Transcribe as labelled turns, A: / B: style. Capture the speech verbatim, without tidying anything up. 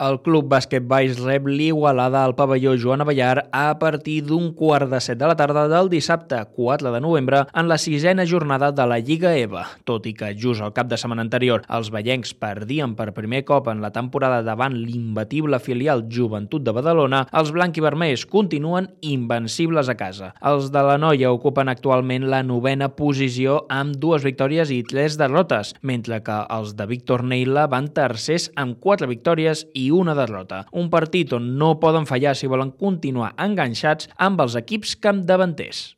A: El Club Bàsquet Valls rep l'Igualada al pavelló Joan Abellar a partir d'un quart de set de la tarda del dissabte quatre de novembre en la sisena jornada de la Lliga E V A. Tot i que just el cap de setmana anterior els vallencs perdien per primer cop en la temporada davant l'imbatible filial Joventut de Badalona, els blanc-i-vermells continuen invencibles a casa. Els de la Noia ocupen actualment la novena posició amb dues victòries i tres derrotes, mentre que els de Víctor Neila van tercers amb quatre victòries i una derrota. Un partit on no poden fallar si volen continuar enganxats amb els equips capdavanters.